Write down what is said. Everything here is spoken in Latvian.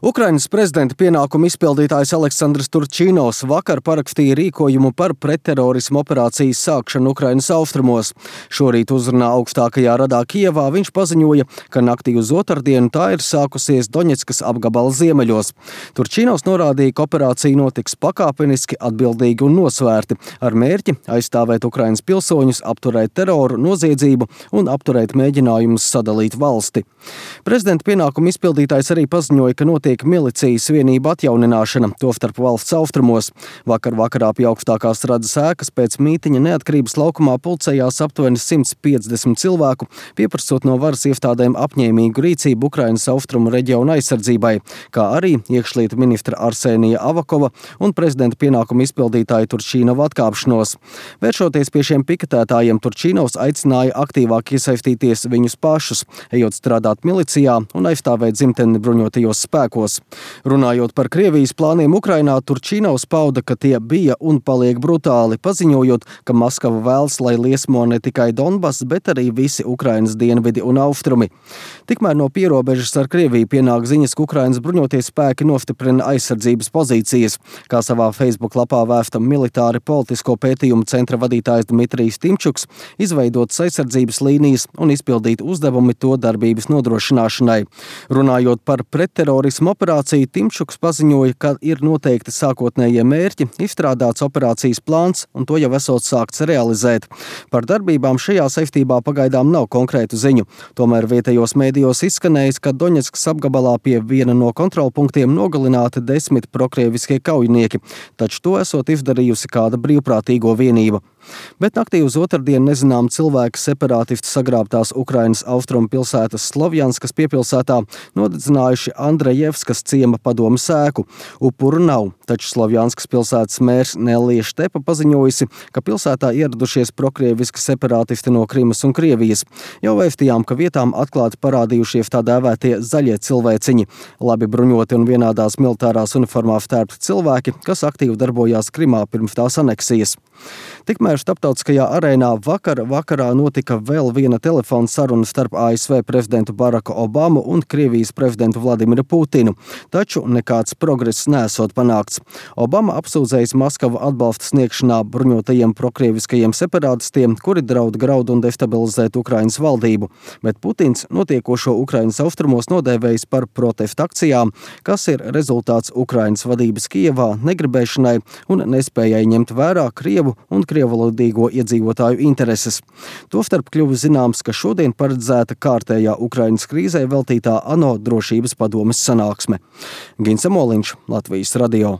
Ukrainas prezidenta pienākumu izpildītājs Aleksandrs Turčinovs vakar parakstīja rīkojumu par pretterorismu operācijas sākšanu Ukrainas austrumos. Šorīt uzrunā augstākajā radā Kijevā viņš paziņoja, ka naktī uz otrdienu tā ir sākusies Doņetskas apgabala ziemeļos. Turčinovs norādīja, ka operācija notiks pakāpeniski, atbildīgi un nosvērti, ar mērķi aizstāvēt Ukrainas pilsoņus, apturēt teroru, noziedzību un apturēt mēģinājumus sadalīt valsti. Prezidenta pienākumu izpildītājs arī paziņoja, ka notiek milicijas vienību atjaunināšana, tostarp valsts austrumos. Vakarā pie augstākās radas ēkas pēc mītiņa Neatkarības laukumā pulcējās aptuveni 150 cilvēku, pieprasot no varas iestādēm apņēmīgu rīcību Ukrainas austrumu reģiona aizsardzībai, kā arī iekšlietu ministra Arsenija Avakova un prezidenta pienākumu izpildītāja Turčinova atkāpšanos. Vēršoties pie šiem piketētājiem, Turčinovs aicināja aktīvāk iesaistīties viņus pašus, ejot strādāt milicijā un aizstāvēt dzimteni bruņotajos spēkos. Runājot par Krievijas plāniem Ukrainā, Turčinovs pauda, ka tie bija un paliek brutāli, paziņojot, ka Maskava vēlas, lai liesmo ne tikai Donbass, bet arī visi Ukrainas dienvidi un austrumi. Tikmēr no pierobežas ar Krieviju pienāk ziņas, ka Ukrainas bruņotie spēki nostiprina aizsardzības pozīcijas, kā savā Facebook lapā vēsta militāri politisko pētījumu centra vadītājs Dmitrijs Timčuks, izveidotas aizsardzības līnijas un izpildīt uzdevumi to darbības nodrošināšanai. Runājot par pretterorismu operāciju, Timčuks paziņoja, ka ir noteikti sākotnējie mērķi, izstrādāts operācijas plāns un to jau esot sākts realizēt. Par darbībām šajā saistībā pagaidām nav konkrētu ziņu. Tomēr vietējos mēdījos izskanējis, ka Doņetskas apgabalā pie viena no kontrolpunktiem nogalināti 10 prokrieviskie kaujinieki, taču to esot izdarījusi kāda brīvprātīgo vienība. Bet naktī uz otrdienu nezinām cilvēki separātisti sagrābtās Ukrainas austrumu pilsētas Slovjanskas piepilsētā nodedzinājuši Andrejevskas ciema padomes ēku. Upuru nav, taču Slovjanskas pilsētas mērs Nelija Štepa paziņojusi, ka pilsētā ieradušies prokrieviski separātisti no Krimas un Krievijas. Jau vēstījām, ka vietām atklāti parādījušies tā dēvētie zaļie cilvēciņi, labi bruņoti un vienādās militārās uniformās tērpti cilvēki, kas aktīvi darbojās Krimā pirms tās aneksijas. Tikmēr starptautiskajā arēnā vakarā notika vēl viena telefona saruna starp ASV prezidentu Baraku Obamu un Krievijas prezidentu Vladimiru Putinu, taču nekāds progress nesot panākts. Obama apsūdzējis Maskavu atbalsta sniegšanā bruņotajiem prokrieviskajiem separātistiem, kuri draud graud un destabilizēt Ukrainas valdību, bet Putins notiekošo Ukrainas austrumos nodēvējis par protesta akcijām, kas ir rezultāts Ukrainas vadības Kijevā negribēšanai un nespējai ņemt vērā Krievu un krievalodīgo iedzīvotāju intereses. Tostarp kļuva zināms, ka šodien paredzēta kārtējā Ukrainas krīzē veltītā ANO drošības padomes sanāksme. Gins Amoliņš, Latvijas radio.